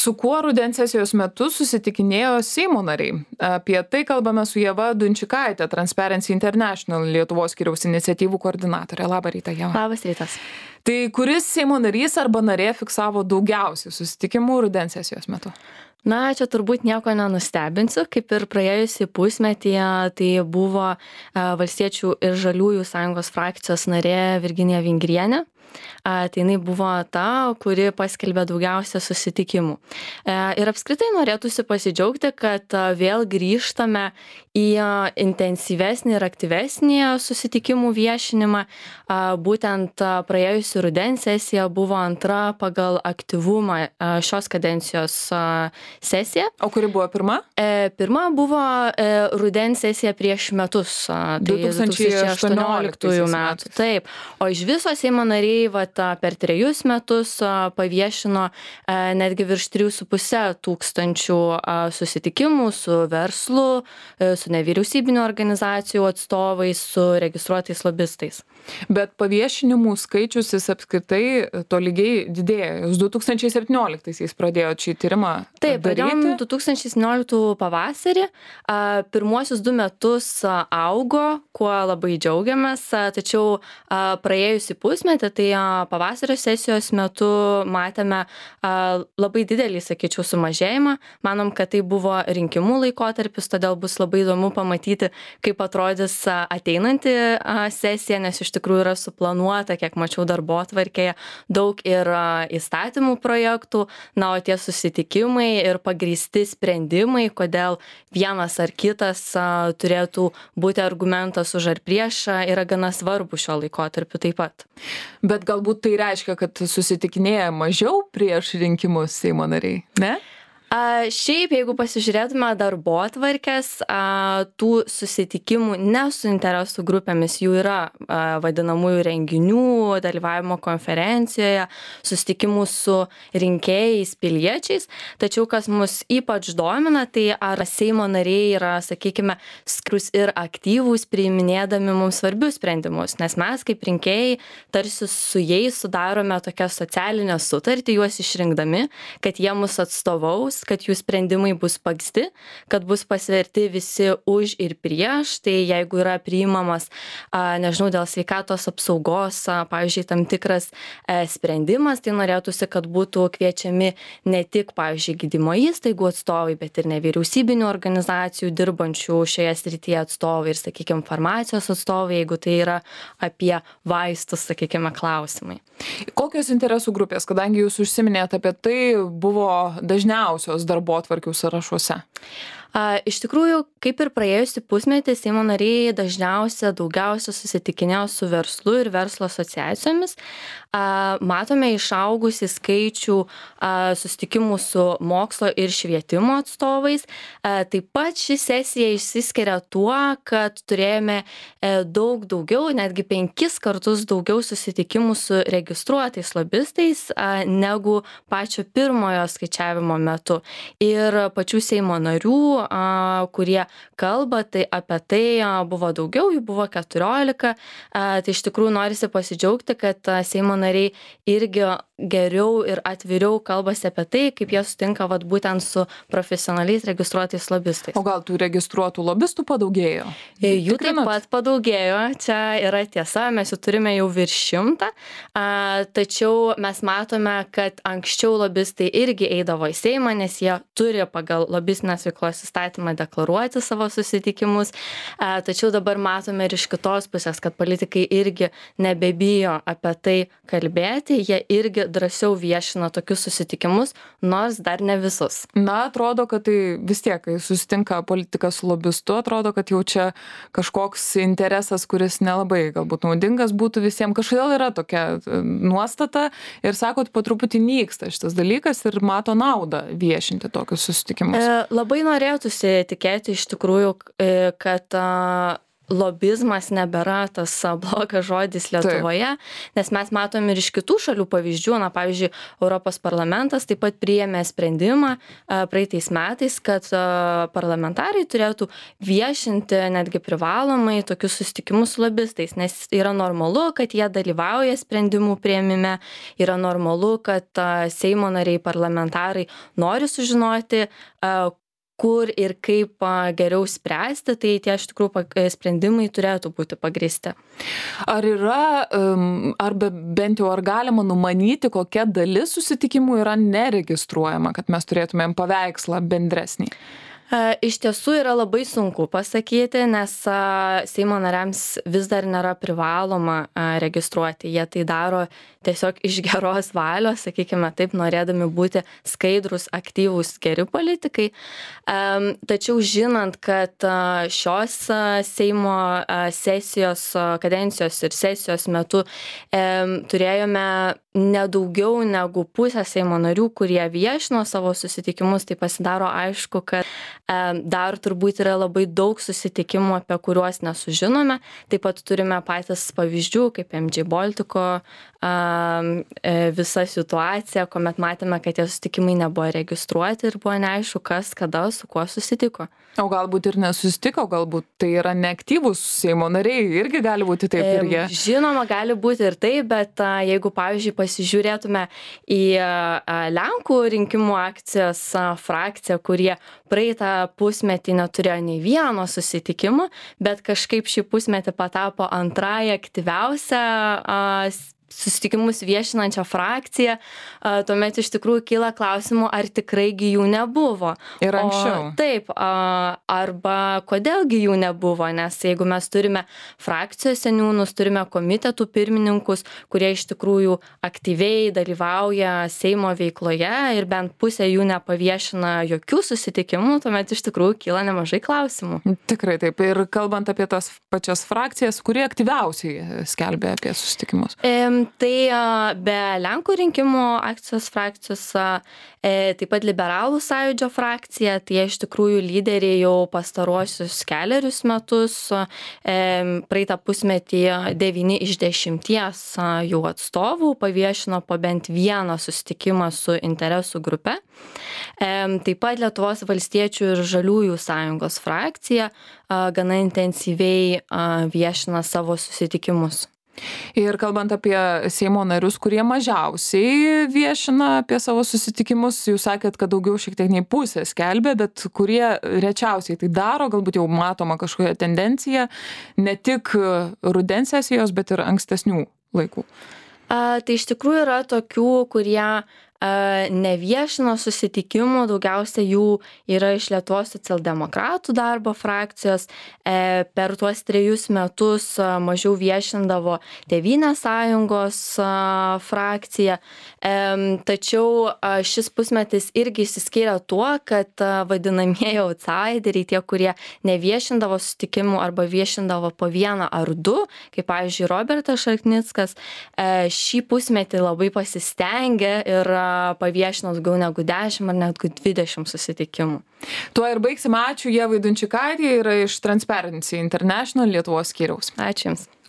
Su kuo rudens sesijos metu susitikinėjo Seimo nariai? Apie tai kalbame su Ieva Dunčikaite, Transparency International Lietuvos skyriaus iniciatyvų koordinatorė. Labą rytą, Ieva. Labas rytas. Tai kuris Seimo narys arba narė fiksavo daugiausiai susitikimų rudens sesijos metu? Na, čia turbūt nieko nenustebinsiu, kaip ir praėjusį pusmetį, tai buvo Valstiečių ir Žaliųjų sąjungos frakcijos narė Virginija Vingrienė. Tai jinai buvo ta, kuri paskelbė daugiausia susitikimų. Ir apskritai norėtųsi pasidžiaugti, kad vėl grįžtame į intensyvesnį ir aktyvesnį susitikimų viešinimą. Būtent praėjusi rudens sesija buvo antra pagal aktyvumą šios kadencijos sesija. O kuri buvo pirma? Pirma buvo rudens sesija prieš metus, tai 2018 metų. Taip, o iš viso Seimo nariai per 3 metus paviešino netgi virš 3,5 tūkstančių susitikimų su verslu, su nevyriausybinių organizacijų atstovais, su registruotais lobistais. Bet paviešinimų skaičius jis apskritai tolygiai didėjo. Jūs 2017-aisiais pradėjot šį tyrimą daryti? Taip, pradėjom 2017 pavasarį. Pirmuosius 2 metus augo, kuo labai džiaugiamės, tačiau praėjusį pusmetį, tai pavasario sesijos metu matėme labai didelį, sakyčiau, sumažėjimą. Manom, kad tai buvo rinkimų laikotarpis, todėl bus labai įdomu pamatyti, kaip atrodys ateinanti sesija, nes iš tikrųjų yra suplanuota, kiek mačiau darbotvarkėje, daug ir įstatymų projektų, na, o tie susitikimai ir pagrįsti sprendimai, kodėl vienas ar kitas turėtų būti argumentas už ar prieš, yra gana svarbu šio laikotarpiu taip pat. Bet galbūt tai reiškia, kad susitikinėja mažiau prieš rinkimus Seimo nariai, ne? Šiaip, jeigu pasižiūrėtume darbotvarkes, tų susitikimų ne su interesų grupėmis, jų yra vadinamųjų renginių, dalyvavimo konferencijoje, susitikimų su rinkėjais, piliečiais. Tačiau, kas mus ypač domina, tai ar Seimo nariai yra, sakykime, skrus ir aktyvūs priiminėdami mums svarbius sprendimus, nes mes kaip rinkėjai tarsi su jais sudarome tokią socialinę sutartį, juos išrinkdami, kad jie mus atstovaus, kad jų sprendimai bus pagrįsti, kad bus pasverti visi už ir prieš. Tai jeigu yra priimamas, nežinau, dėl sveikatos apsaugos, pavyzdžiui, tam tikras sprendimas, tai norėtųsi, kad būtų kviečiami ne tik, pavyzdžiui, gydymo įstaigų atstovai, bet ir nevyriausybinių organizacijų dirbančių šioje srityje atstovai ir, sakykime, farmacijos atstovai, jeigu tai yra apie vaistus, sakykime, klausimai. Kokios interesų grupės, kadangi jūs užsiminėte apie tai, buvo dažniausios darbotvarkių sąrašuose? Iš tikrųjų, kaip ir praėjusį pusmetį, Seimo nariai daugiausia susitikinėjo su verslu ir verslo asociacijomis. Matome išaugusį skaičių susitikimų su mokslo ir švietimo atstovais. Taip pat ši sesija išsiskiria tuo, kad turėjome daug daugiau, netgi 5 kartus daugiau susitikimų su registruotais lobistais negu pačio pirmojo skaičiavimo metu. Ir pačių Seimo narių, kurie kalba, tai apie tai buvo daugiau, jų buvo 14. Tai iš tikrųjų norisi pasidžiaugti, kad Seimo nariai irgi geriau ir atviriau kalbasi apie tai, kaip jie sutinka būtent su profesionaliais registruotais lobistais. O gal tų registruotų lobistų padaugėjo? Jų taip pat padaugėjo, čia yra tiesa, mes jų turime jau virš 100, tačiau mes matome, kad anksčiau lobistai irgi eidavo į Seimą, nes jie turi pagal lobistinės veiklos įstatymą deklaruoti savo susitikimus, tačiau dabar matome ir iš kitos pusės, kad politikai irgi nebebijo apie tai kalbėti, jie irgi drąsiau viešina tokius susitikimus, nors dar ne visus. Na, atrodo, kad tai vis tiek, kai susitinka politikas su lobistu, atrodo, kad jau čia kažkoks interesas, kuris nelabai galbūt naudingas būtų visiems. Kažkodėl yra tokia nuostata ir sakot, po truputį nyksta šitas dalykas ir mato naudą viešinti tokius susitikimus. Labai norėtųsi tikėti iš tikrųjų, kad lobizmas nebėra tas blogas žodis Lietuvoje, nes mes matom ir iš kitų šalių pavyzdžių. Na, pavyzdžiui, Europos parlamentas taip pat priėmė sprendimą praeitais metais, kad parlamentarai turėtų viešinti netgi privalomai tokius susitikimus su lobistais, nes yra normalu, kad jie dalyvauja sprendimų priėmime, yra normalu, kad Seimo nariai parlamentarai nori sužinoti, kur ir kaip geriau spręsti, tai tie iš tikrųjų sprendimai turėtų būti pagrįsti. Ar yra, bent jau ar galima numanyti, kokia dalis susitikimų yra neregistruojama, kad mes turėtumėm paveikslą bendresnį? Iš tiesų yra labai sunku pasakyti, nes Seimo nariams vis dar nėra privaloma registruoti. Jie tai daro tiesiog iš geros valios, sakykime taip, norėdami būti skaidrus, aktyvūs, geri politikai. Tačiau žinant, kad šios Seimo sesijos, kadencijos ir sesijos metu turėjome nedaugiau negu pusę Seimo narių, kurie viešino savo susitikimus, tai pasidaro aišku, kad dar turbūt yra labai daug susitikimų, apie kuriuos nesužinome. Taip pat turime patys pavyzdžių, kaip MJ Baltico visa situacija, kuomet matėme, kad tie susitikimai nebuvo registruoti ir buvo neaišku, kas, kada, su kuo susitiko. O galbūt ir nesusitiko, galbūt tai yra neaktyvūs Seimo nariai, irgi gali būti taip ir jie. Žinoma, gali būti ir taip, bet jeigu, pavyzdžiui, pasižiūrėtume į Lenkų rinkimų akcijos frakciją, kurie praeitą pusmetį neturėjo nei vieno susitikimo, bet kažkaip šį pusmetį patapo antrąją aktyviausią susitikimus viešinančią frakciją, tuomet iš tikrųjų kyla klausimų, ar tikraigi jų nebuvo. Ir anksčiau. Taip, arba kodėlgi jų nebuvo, nes jeigu mes turime frakcijos seniūnus, turime komitetų pirmininkus, kurie iš tikrųjų aktyviai dalyvauja Seimo veikloje ir bent pusė jų nepaviešina jokių susitikimų, tuomet iš tikrųjų kyla nemažai klausimų. Tikrai taip. Ir kalbant apie tas pačias frakcijas, kurie aktyviausiai skelbia apie susitikimus? Tai be Lenkų rinkimų akcijos frakcijos, taip pat Liberalų sąjūdžio frakcija, tai iš tikrųjų lyderiai jau pastaruosius kelerius metus, praeitą pusmetį 9 iš 10 jų atstovų paviešino po bent vieną susitikimą su interesų grupe. Taip pat Lietuvos valstiečių ir žaliųjų sąjungos frakcija gana intensyviai viešina savo susitikimus. Ir kalbant apie Seimo narius, kurie mažiausiai viešina apie savo susitikimus, jūs sakėt, kad daugiau šiek tiek nei pusė skelbia, bet kurie rečiausiai tai daro, galbūt jau matoma kažkokia tendencija, ne tik rudens sesijos, bet ir ankstesnių laikų. Tai iš tikrųjų yra tokių, kurie neviešino susitikimų, daugiausia jų yra iš Lietuvos socialdemokratų darbo frakcijos. Per tuos 3 metus mažiau viešindavo Tėvynės sąjungos frakcija. Tačiau šis pusmetis irgi išsiskyrė tuo, kad vadinamieji outsideriai, tie, kurie neviešindavo susitikimų arba viešindavo po 1 ar 2, kaip pavyzdžiui Robertas Šarknickas, šį pusmetį labai pasistengė ir paviešino daugiau negu 10 ar net 20 susitikimų. Tuo ir baigsime. Ačiū Ievai Dunčikaitei, yra iš Transparency International Lietuvos skyriaus. Ačiū Jums.